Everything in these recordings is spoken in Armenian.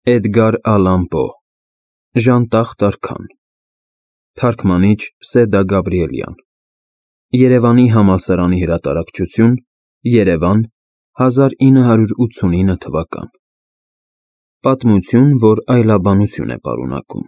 Էդգար Ալան Պո, Ժանտախ Տարքան, Թարգմանիչ Սեդա Գաբրիելյան, Երևանի համալսարանի հրատարակչություն, Երևան, 1989 թվական։ Պատմություն, որ այլաբանություն է պարունակում։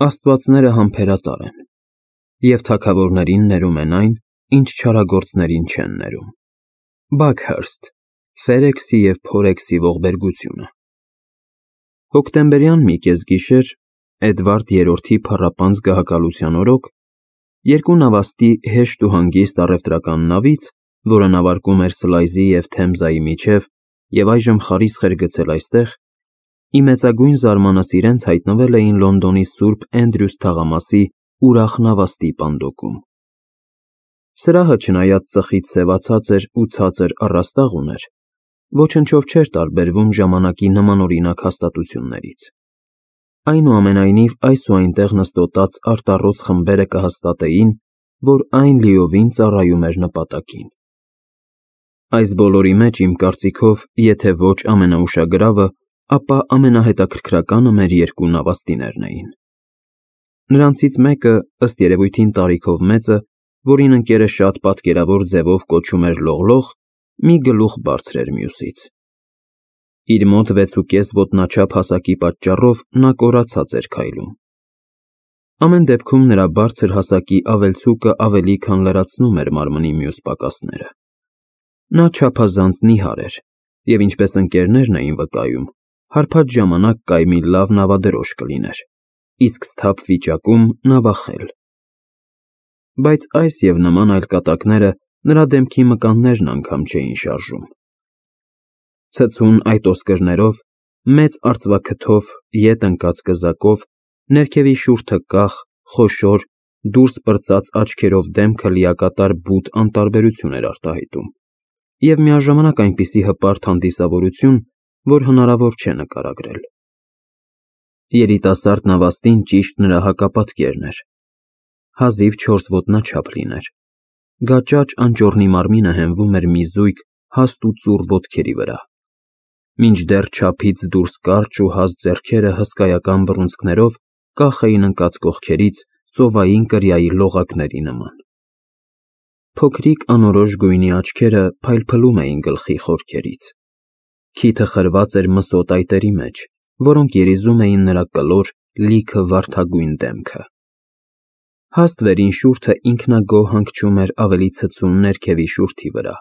Աստվածները համբերատար են, և թագավորներին ներում են այն, ինչ չարագործներին չեն ներում։ Բաքհըրստ, Ֆերեքսի և Փորեքսի ողբերգությունը։ Հոկտեմբերյան մի կեսգիշեր, Էդվարդ III-ի փառապանծ գահակալության օրոք, երկու նավաստի հեշտ ու հանգիստ առևտրական նավից, որը նավարկում էր Սլայզի և Թեմզայի միջև և այժմ խարիսխ էր գցել այստեղ, ի մեծագույն զարմանս իրենց հայտնվել էին Լոնդոնի Սուրբ Էնդրյուս թաղամասի ուրախ նավաստի պանդոկում։ Սրահը, չնայած ծխից սևացած էր ու ցածր առաստաղ ուներ, ոչնչով չէր տարբերվում ժամանակի նմանօրինակ հաստատություններից։ Այնուամենայնիվ, այս ու այնտեղ նստոտած արտառոց խմբերը կհաստատեին, որ այն լիովին ծառայում էր նպատակին։ Այս բոլորի մեջ, իմ կարծիքով, եթե ոչ ամենաուշագրավը, ապա ամենահետաքրքրականը մեր երկու նավաստիներն էին։ Նրանցից մեկը, ըստ երևույթին տարիքով մեծը, որին ընկերը շատ պատկերավոր ձևով կոչում էր Լողլող, մի գլուխ բարձր էր մյուսից։ Իր մոտ 6.5 ոտնաչափ հասակի պատճառով նա կորացած էր քայլում։ Ամեն դեպքում նրա բարձր հասակի ավելցուկը ավելի քան լրացնում էր մարմնի մյուս պակասները։ Նա չափազանց նիհար էր, և ինչպես ընկերներն էին վկայում, հարբած ժամանակ կայմի լավ նավադրոշ կլիներ, իսկ սթափ վիճակում նավախել։ Բայց այս և նման այլ կատակները նրա դեմքի մկաններն անգամ չէին շարժում։ Ցցուն այդ ոսկրներով, մեծ արծվաքթով, ետ ընկած կզակով, ներքևի շուրթը կախ, խոշոր, դուրս պրծած աչքերով դեմքը լիակատար բութ անտարբերություն էր արտահայտում և միաժամանակ այնպիսի հպարտ հանդիսավորություն, որ հնարավոր չէ նկարագրել։ Երիտասարդ նավաստին ճիշտ նրա հակապատկերն էր։ Հազիվ 4 ոտնաչափ լիներ։ Գաճաճ անճոռնի մարմինը հենվում էր մի զույգ հաստ ու ծուռ ոտքերի վրա, մինչդեռ չափից դուրս կարճ ու հաստ ձեռքերը հսկայական բռունցքներով կախ էին ընկած կողքերից ծովային կրիայի լողակների նման։ Փոքրիկ անորոշ գույնի աչքերը փայլփլում էին գլխի խորքերից։ Քիթը խրված էր մսոտ այտերի մեջ, որոնք երիզում էին նրա կլոր, լիքը վարդագույն դեմքը։ Հաստ վերին շուրթը ինքնագոհ հանգչում էր ավելի ցցուն ներքևի շուրթի վրա,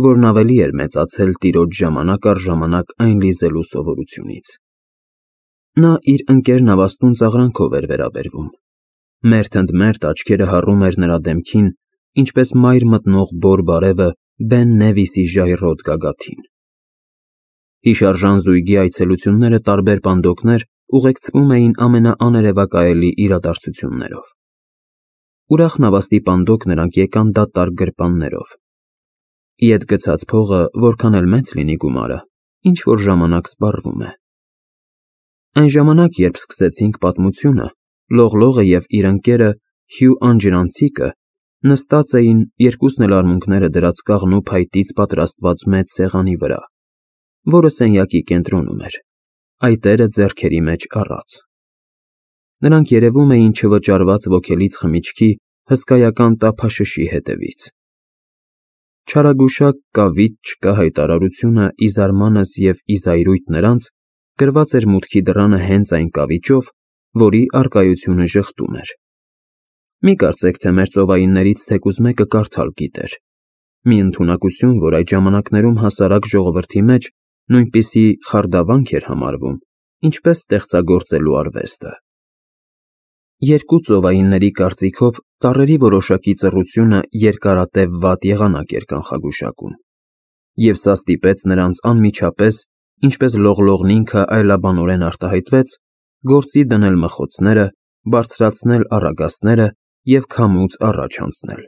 որն ավելի էր մեծացել տիրոջ ժամանակ առ ժամանակ այն լիզելու սովորությունից։ Նա իր ընկեր նավաստուն ծաղրանքով էր վերաբերվում։ Մերթ ընդ մերթ աչքերը հառում էր նրա դեմքին, ինչպես մայր մտնող բոր բարևը Բեն Նևիսի ժայռոտ գագաթին։ Հիշարժան զույգի այցելությունները տարբեր պանդոկներ ուղեկցվում էին ամենաաներևակայելի իրադարձություններով։ Ուրախ նավաստի պանդոկ նրանք եկան դատարկ գրպաններով։ Ետ գցած փողը, որքան էլ մեծ լինի գումարը, ինչ-որ ժամանակ սպառվում է։ Այն ժամանակ, երբ սկսեցինք պատմությունը, Լողլողը և իր ընկերը Հյու Անջրանցիկը նստած էին, երկուսն էլ արմունկները դրած կաղնու փայտից պատրաստված մեծ սեղանի վրա, որը սենյակի կենտրոնում էր, այտերը ձեռքերի մեջ առած։ Նրանք երևում էին չվճարված ոգելից խմիչքի հսկայական տափաշշի հետևից։ Չարագուշակ կավիճ-չկա հայտարարությունը ի զարմանս և ի զայրույթ նրանց գրված էր մուտքի դռանը հենց այն կավիճով, որի առկայությունը ժխտում էր։ Մի կարծեք, թե մեր ծովայիններից թեկուզ մեկը կարդալ գիտեր։ Մի ընդունակություն, որ այդ ժամանակներում հասարակ ժողովրդի մեջ նույնպիսի խարդավանք էր համարվում, ինչպես ստեղծագործելու արվեստը։ Երկու ծովայինների կարծիքով տառերի որոշակի ծռությունը երկարատև վատ եղանակ էր կանխագուշակում, և սա ստիպեց նրանց անմիջապես, ինչպես Լողլողն ինքը այլաբանորեն արտահայտվեց, գործի դնել մխոցները, բարձրացնել առագաստները և քամուց առաջ անցնել։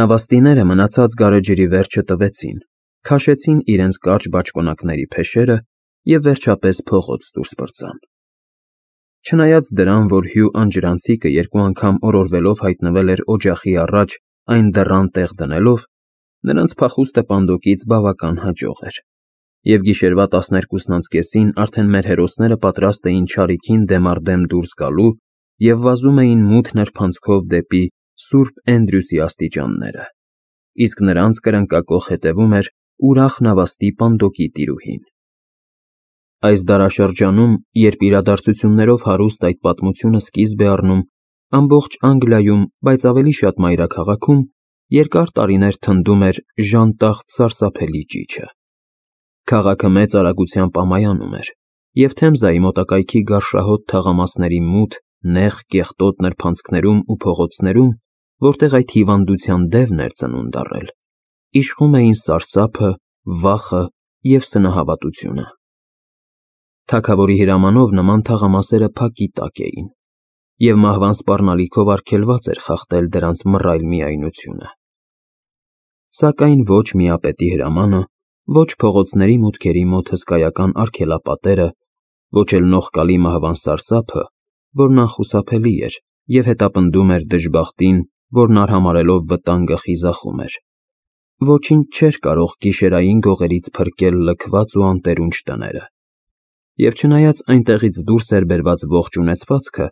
Նավաստիները մնացած գարեջրի վերջը տվեցին, քաշեցին իրենց կարճ բաճկոնակների փեշերը և վերջապես փողոց դուրս պրծան։ Չնայած դրան, որ Հյու Անջրանցիկը երկու անգամ օրորվելով հայտնվել էր օջախի առաջ այն դռան տեղ դնելով, նրանց փախուստը պանդոկից բավական հաջող էր։ Եվ գիշերվա 12-ին արդեն մեր հերոսները պատրաստ էին չարիքին դեմ առ դեմ դուրս գալու և վազում էին մութ նրբանցքով դեպի Սուրբ Էնդրյուսի աստիճանները, իսկ նրանց կրնկակոխ հետևում էր ուրախ նավաստի պանդոկի տիրուհին։ Այս դարաշրջանում, երբ իրադարձություններով հարուստ այդ պատմությունը սկիզբ է առնում, ամբողջ Անգլիայում, բայց ավելի շատ մայրաքաղաքում, երկար տարիներ թնդում էր ժանտախտ սարսափելի ճիչը։ Քաղաքը մեծ արագությամբ ամայանում էր, և Թեմզայի մոտակայքի գարշահոտ թաղամասերի մութ, նեղ, կեղտոտ նրբանցքներում ու փողոցներում, որտեղ այդ հիվանդության դևն էր ծնունդ առել, իշխում էին սարսափը, վախը և սնահավատությունը։ Թագավորի հրամանով նման թաղամասերը փակի տակ էին, և մահվան սպառնալիքով արգելված էր խախտել դրանց մռայլ միայնությունը։ Սակայն ոչ միապետի հրամանը, ոչ փողոցների մուտքերի մոտ հսկայական արգելապատերը, ոչ էլ նողկալի մահվան սարսափը, որն անխուսափելի էր և հետապնդում էր դժբախտին, որն արհամարհելով վտանգը խիզախում էր, ոչինչ չէր կարող գիշերային գողերից փրկել լքված ու անտերունջ տները։ Եվ չնայած այնտեղից դուրս էր բերված ողջ ունեցվածքը,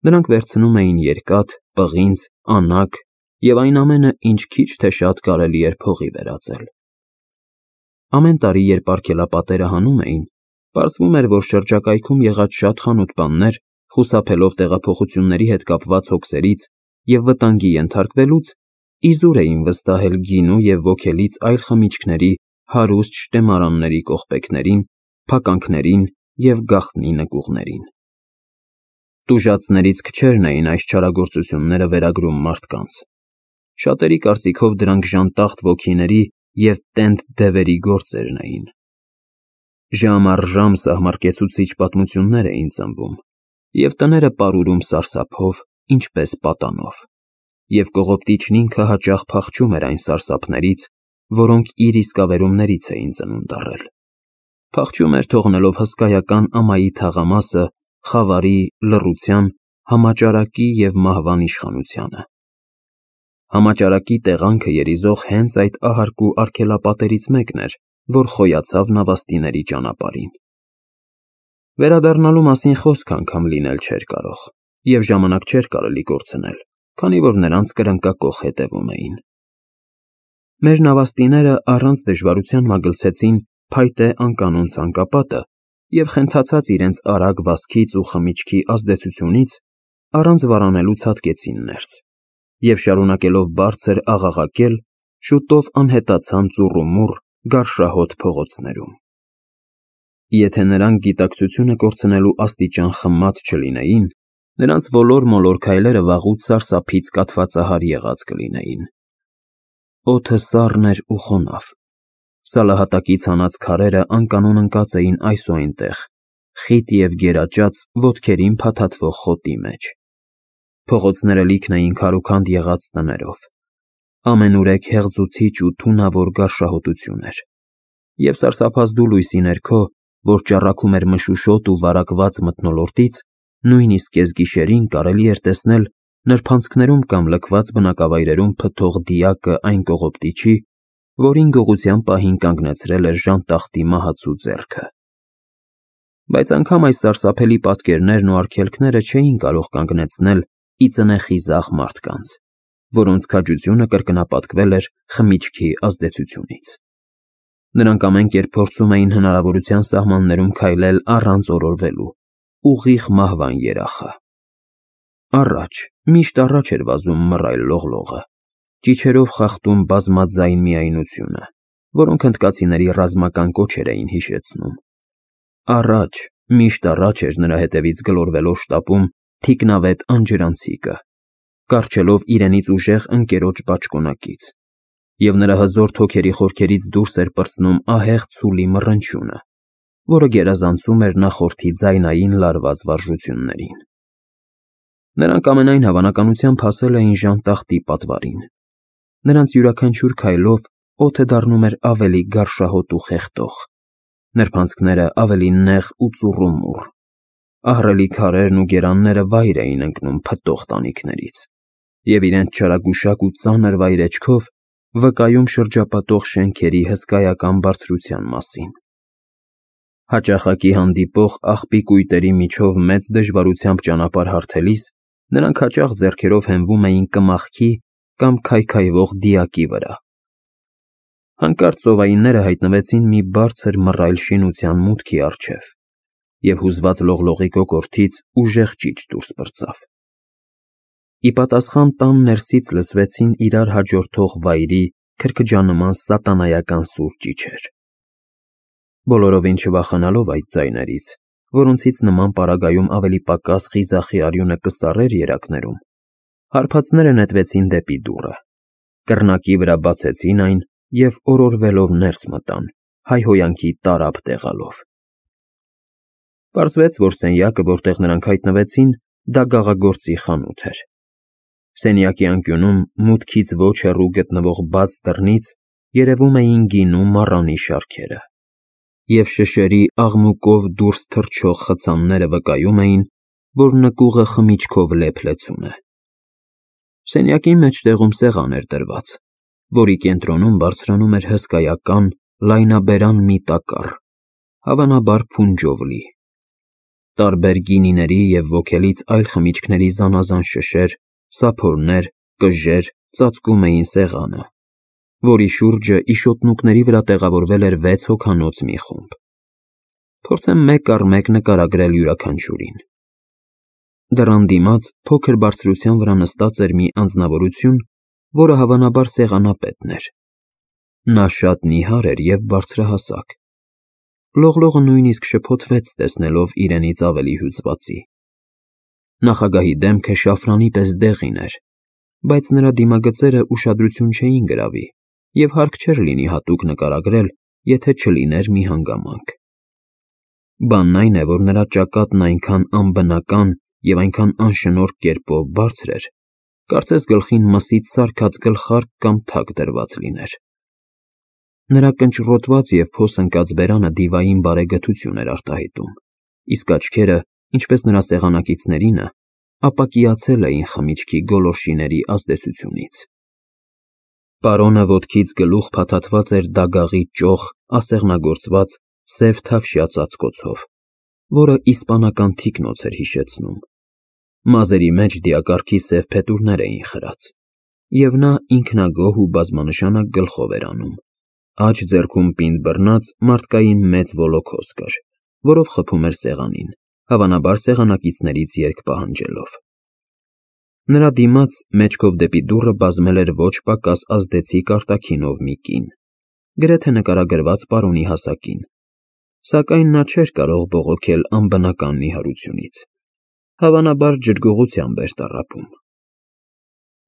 նրանք վերցնում էին երկաթ, պղինձ, անագ և այն ամենը, ինչ քիչ թե շատ կարելի էր փողի վերածել։ Ամեն տարի, երբ արգելապատերը հանում էին, պարզվում էր, որ շրջակայքում եղած շատ խանութպաններ, խուսափելով տեղափոխությունների հետ կապված հոգսերից և վտանգի ենթարկվելուց, իզուր էին վստահել գինու և ոգելից այլ խմիչքների հարուստ շտեմարանների կողպեքներին, փականքներին և գաղտնի նկուղներին։ Տուժածներից քչերն էին այս չարագործությունները վերագրում մարդկանց։ Շատերի կարծիքով դրանք ժանտախտ ոգիների և տենդ դևերի գործերն էին։ Ժամ առ ժամ սահմռկեցուցիչ պատմություններ էին ծնվում, և տները պարուրում սարսափով, ինչպես պատանով, և կողոպտիչն ինքը հաճախ փախչում էր այն սարսափներից, որոնք իր իսկավերումներից էին ծնունդ առել։ Փախչում էր, թողնելով հսկայական ամայի թաղամասը խավարի, լռության, համաճարակի և մահվան իշխանությանը։ Համաճարակի տեղանքը երիզող հենց այդ ահարկու արգելապատերից մեկն էր, որ խոյացավ նավաստիների ճանապարհին։ Վերադառնալու մասին խոսք անգամ լինել չէր կարող, և ժամանակ չէր կարելի կորցնել, քանի որ նրանց կրնկակոխ հետևում էին։ Մեր նավաստիները առանց դժվարության մագլցեցին փայտե անկանոն ցանկապատը և խենթացած իրենց արագ վազքից ու խմիչքի ազդեցությունից, առանց վարանելու ցատկեցին ներս և, շարունակելով բարձր աղաղակել, շուտով անհետացան ծուռումուռ, գարշահոտ փողոցներում։ Եթե նրանք գիտակցությունը կորցնելու աստիճան խմած չլինեին, նրանց ոլոր-մոլոր քայլերը վաղուց սարսափից կաթվածահար եղած կլինեին։ Օդը սառն էր ու խոնավ։ Սալահատակից հանած քարերը անկանոն ընկած էին այս ու այնտեղ, խիտ և գերաճած ոտքերին փաթաթվող խոտի մեջ։ Փողոցները լիքն էին քարուքանդ եղած տներով։ Ամենուրեք հեղձուցիչ ու թունավոր գարշահոտություն էր, և սարսափազդու լույսի ներքո, որ ճառագում էր մշուշոտ ու վարակված մթնոլորտից, նույնիսկ կեսգիշերին կարելի էր տեսնել նրբանցքներում կամ լքված բնակավայրերում փթող դիակը այն կողոպտիչի, որին գողության պահին կանգնեցրել էր ժանտախտի մահացու ձեռքը։ Բայց անգամ այս սարսափելի պատկերներն ու արգելքները չէին կարող կանգնեցնել ի ծնե խիզախ մարդկանց, որոնց քաջությունը կրկնապատկվել էր խմիչքի ազդեցությունից։ Նրանք ամեն կերպ փորձում էին հնարավորության սահմաններում քայլել առանց օրորվելու, ուղիղ մահվան երախը։ Առաջ, միշտ առաջ էր վազում մռայլ լողլողը, ճիչերով խախտում բազմաձայն միայնությունը, որոնք հնդկացիների ռազմական կոչեր էին հիշեցնում։ Առաջ, միշտ առաջ էր նրա հետևից գլորվելով շտապում թիկնավետ անջրանցիկը, կառչելով իրենից ուժեղ ընկերոջ բաճկոնակից, և նրա հզոր թոքերի խորքերից դուրս էր պրծնում ահեղ ցուլի մռնչյունը, որը գերազանցում էր նախորդի ձայնային լարված վարժություններին։ Նրանք ամենայն հավանականությամբ հասել էին ժանտախտի պատվարին։ Նրանց յուրաքանչյուր քայլով օդը դառնում էր ավելի գարշահոտ ու խեղդող, նրբանցքները ավելի նեղ ու ծուռումուռ, ահռելի քարերն ու գերանները վայր էին ընկնում փտող տանիքներից և իրենց չարագուշակ ու ծանր վայրէջքով վկայում շրջապատող շենքերի հսկայական բարձրության մասին։ Հաճախակի հանդիպող աղբի կույտերի միջով մեծ դժվարությամբ ճանապարհ հարթելիս նրանք հաճախ ձեռքերով հենվում էին կմախքի կամ քայքայվող դիակի վրա։ Հանկարծ ծովայինները հայտնվեցին մի բարձր մռայլ շինության մուտքի առջև, և հուզված լողլողի կոկորդից ուժեղ ճիչ դուրս պրծավ։ Ի պատասխան տան ներսից լսվեցին իրար հաջորդող վայրի քրքջանման սատանայական սուր ճիչեր։ Բոլորովին չվախենալով այդ ձայներից, որոնցից նման պարագայում ավելի պակաս խիզախի արյունը կսառեր երակներում, հարբածները նետվեցին դեպի դուռը, կռնակի վրա բացեցին այն և օրորվելով ներս մտան, հայհոյանքի տարափ տեղալով։ Պարզվեց, որ սենյակը, որտեղ նրանք հայտնվեցին, դա գաղագործի խանութ էր։ Սենյակի անկյունում մուտքից ոչ հեռու գտնվող բաց դռնից երևում էին գինու մառանի շարքերը, և շշերի աղմուկով դուրս թռչող խցանները վկայում էին, որ նկուղը խմիչքով լեփ-լեցուն է։ Սենյակի մեջտեղում սեղան էր դրված, որի կենտրոնում բարձրանում էր հսկայական, լայնաբերան մի տակառ, հավանաբար փունջով լի։ Տարբեր գինիների և ոգելից այլ խմիչքների զանազան շշեր, սափորներ, կժեր ծածկում էին սեղանը, որի շուրջը իշոտնուկների վրա տեղավորվել էր 6 հոգանոց մի խումբ։ Փորձեմ մեկ առ մեկ նկարագրել յուրաքանչյուրին։ Դռան դիմաց փոքր բարձրության վրա նստած էր մի անձնավորություն, որը հավանաբար սեղանապետն էր։ Նա շատ նիհար էր և բարձրահասակ։ Լողլողը նույնիսկ շփոթվեց, տեսնելով իրենից ավելի հյուծվածի։ Նախագահի դեմքը շաֆրանի պես դեղին էր, բայց նրա դիմագծերը ուշադրություն չէին գրավի, և հարկ չէր լինի հատուկ նկարագրել, եթե չլիներ մի հանգամանք։ Բանն այն է, որ նրա ճակատն այնքան անբնական և այնքան անշնորհ կերպով բարձր էր, կարծես գլխին մսից սարքած գլխարկ կամ թակ դրված լիներ։ Նրա կնճռոտված և փոս ընկած բերանը դիվային բարեգթություն էր արտահայտում, իսկ աչքերը, ինչպես նրա սեղանակիցներինը, ապակիացել էին խմիչքի գոլորշիների ազդեցությունից։ Պարոնը ոտքից գլուխ փաթաթված էր դագաղի ճոխ ասեղնագործված սև թավշյա ծածկոցով, որը իսպանական թիկնոց էր հիշեցնում։ Մազերի մեջ դիակառքի սև փետուրներ էին խրած, և նա ինքնագոհ ու բազմանշանակ գլխով էր անում։ Աջ ձեռքում պինդ բռնած մարդկային մեծ ոլոքոս կար, որով խփում էր սեղանին, հավանաբար սեղանակիցներից երկ պահանջելով։ Նրա դիմաց մեջքով դեպի դուռը բազմել էր ոչ պակաս ազդեցիկ արտաքինով մի կին, գրեթե նկարագրված պարոնի հասակին, սակայն նա չէր կարող բողոքել անբնական նիհարությունից, հավանաբար ջրգողությամբ էր տառապում։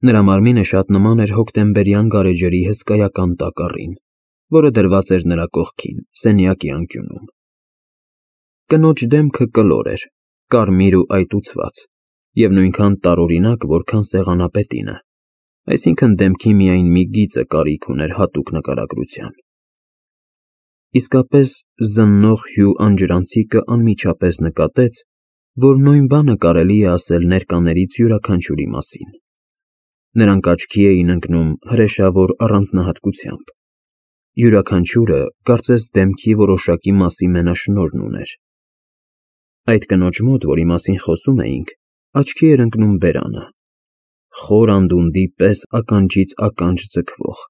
Նրա մարմինը շատ նման էր հոկտեմբերյան գարեջրի հսկայական տակառին, որը դրված էր նրա կողքին, սենյակի անկյունում։ Կնոջ դեմքը կլոր էր, կարմիր ու այտուցված, և նույնքան տարօրինակ, որքան սեղանապետինը, այսինքն դեմքի միայն մի գիծը կարիք ուներ հատուկ նկարագրության։ Իսկապես զննող հյու անջրանցիկը անմիջապես նկատեց, որ նույն բանը կարելի է ասել ներկաներից յուրաքանչյուրի մասին։ Նրանք աչքի էին ընկնում հրեշավոր առանձնահատկությամբ։ Յուրաքանչյուրը կարծես դեմքի որոշակի մասի մենաշնորհն ուներ։ Այդ կնոջ մոտ, որի մասին խոսում էինք, աչքի էր ընկնում բերանը, խոր անդունդի պես ականջից ականջ ձգվող,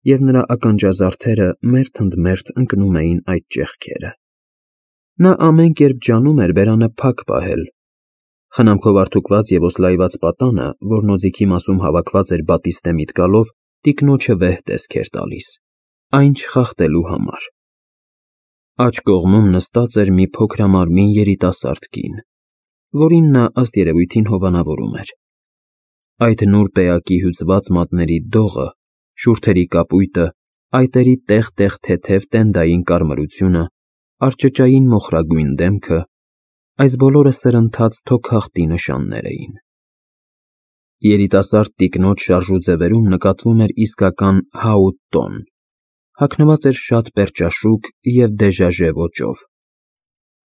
և նրա ականջազարդերը մերթ ընդ մերթ ընկնում էին այդ ճեղքերը։ Նա ամեն կերպ ջանում էր բերանը փակ պահել։ Խնամքով արդուկված և օսլայված պատանը, որն օձիքի մասում հավաքված էր բատիստե միտկալով, տիկնոջը վեհ տեսք էր տալիս, այն չխախտելու համար։ Աջ կողմում նստած էր մի փոքրամարմին երիտասարդ կին, որին նա ըստ երևույթին հովանավորում էր։ Այդ նուրբ էակի հյուծված մատների դողը, շուրթերի կապույտը, այտերի տեղ-տեղ թեթև տենդային կարմրությունը, արճճային մոխրագույն դեմքը, այս բոլորը սրընթաց թոքախտի նշաններ էին։ Երիտասարդ տիկնոջ շարժուձևերում նկատվում էր իսկական հաուտ տոն, հագնված էր շատ պերճաշուք և դեժաժե ոճով։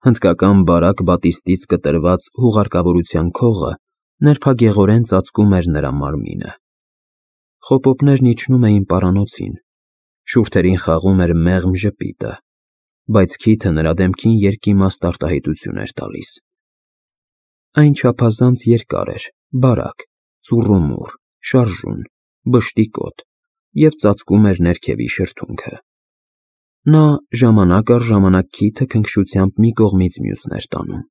Հնդկական բարակ բատիստից կտրված հուղարկավորության քողը նրբագեղորեն ծածկում էր նրա մարմինը։ Խոպոպներն իջնում էին պարանոցին, շուրթերին խաղում էր մեղմ ժպիտը, բայց քիթը նրա դեմքին երկիմաստ արտահայտություն էր տալիս։ Այն չափազանց երկար էր, բարակ, ծուռումուռ, շարժուն, բշտիկոտ և ծածկում էր ներքևի շրթունքը։ Նա ժամանակ առ ժամանակ քիթը քնքշությամբ մի կողմից մյուսն էր տանում։